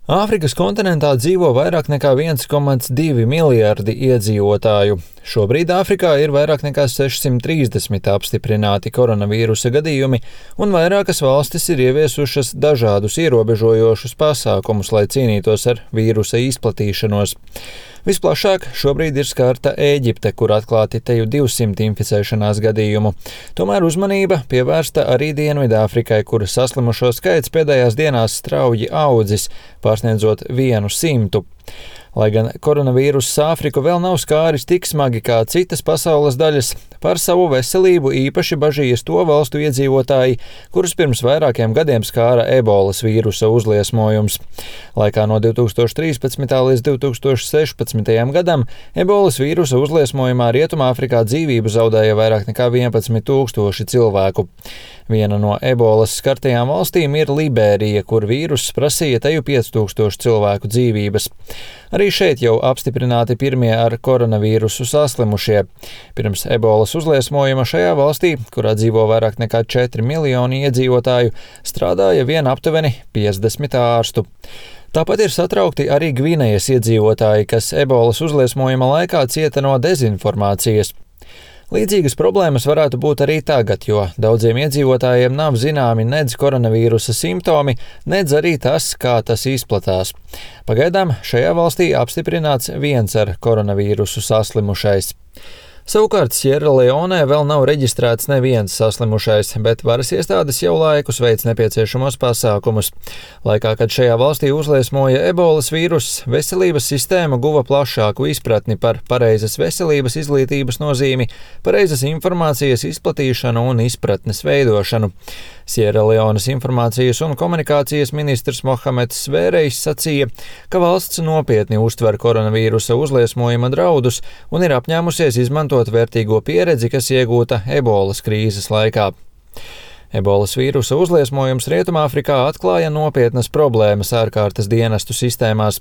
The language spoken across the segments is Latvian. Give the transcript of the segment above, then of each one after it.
Āfrikas kontinentā dzīvo vairāk nekā 1,2 miljardi iedzīvotāju. Šobrīd Āfrikā ir vairāk nekā 630 apstiprināti koronavīrusa gadījumi, un vairākas valstis ir ieviesušas dažādus ierobežojošus pasākumus, lai cīnītos ar vīrusa izplatīšanos. Visplašāk šobrīd ir skarta Ēģipte, kur atklāti teju 200 inficēšanās gadījumu. Tomēr uzmanība pievērsta arī Dienvidāfrikai, kur saslimušo skaits pēdējās dienās strauji audzis, pārsniedzot 100. Lai gan koronavīruss Āfriku vēl nav skāris tik smagi kā citas pasaules daļas, par savu veselību īpaši bažījas to valstu iedzīvotāji, kurus pirms vairākiem gadiem skāra ebolas vīrusa uzliesmojums. Laikā no 2013. līdz 2016. gadam ebolas vīrusa uzliesmojumā Rietumāfrikā dzīvību zaudēja vairāk nekā 11 000 cilvēku. Viena no ebolas skartajām valstīm ir Liberija, kur vīruss prasīja teju 5000 cilvēku dzīvības. Arī šeit jau apstiprināti pirmie ar koronavīrusu saslimušie. Pirms ebolas uzliesmojuma šajā valstī, kurā dzīvo vairāk nekā 4 miljoni iedzīvotāju, strādāja vien aptuveni 50 ārstu. Tāpat ir satraukti arī Gvinejas iedzīvotāji, kas ebolas uzliesmojuma laikā cieta no dezinformācijas. Līdzīgas problēmas varētu būt arī tagad, jo daudziem iedzīvotājiem nav zināmi nedz koronavīrusa simptomi, nedz arī tas, kā tas izplatās. Pagaidām šajā valstī apstiprināts viens ar koronavīrusu saslimušais. Savukārt Sierraleonē vēl nav reģistrēts neviens saslimušais, bet varas iestādes jau laikus veic nepieciešamos pasākumus. Laikā, kad šajā valstī uzliesmoja ebolas vīruss, veselības sistēma guva plašāku izpratni par pareizas veselības izglītības nozīmi, pareizas informācijas izplatīšanu un izpratnes veidošanu. Sierraleonas informācijas un komunikācijas ministrs Mohameds Svērejs sacīja, ka valsts nopietni uztver koronavīrusa uzliesmojuma draudus un ir apņēmusies izmantot vērtīgo pieredzi, kas iegūta ebolas krīzes laikā. Ebolas vīrusa uzliesmojums Rietumāfrikā atklāja nopietnas problēmas ārkārtas dienestu sistēmās.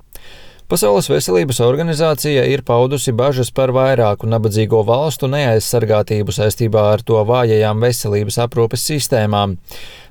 Pasaules veselības organizācija ir paudusi bažas par vairāku nabadzīgo valstu neaizsargātību saistībā ar to vājajām veselības aprūpes sistēmām.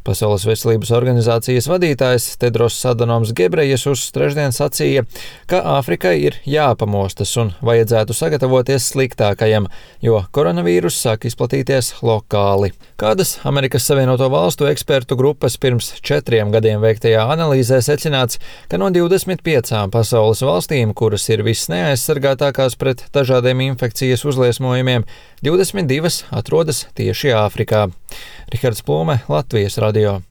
Pasaules veselības organizācijas vadītājs Tedros Adhanoms Gebrejesus trešdien sacīja, ka Āfrikai ir jāpamostas un vajadzētu sagatavoties sliktākajam, jo koronavīruss sāk izplatīties lokāli. Kādas Amerikas Savienoto Valstu ekspertu grupas pirms 4 gadiem veiktajā analīzē secināts, ka no 25 pasaules valstīm, kuras ir visneaizsargātākās pret dažādiem infekcijas uzliesmojumiem, 22 atrodas tieši Āfrikā. Rihards Plūme, Latvijas radio.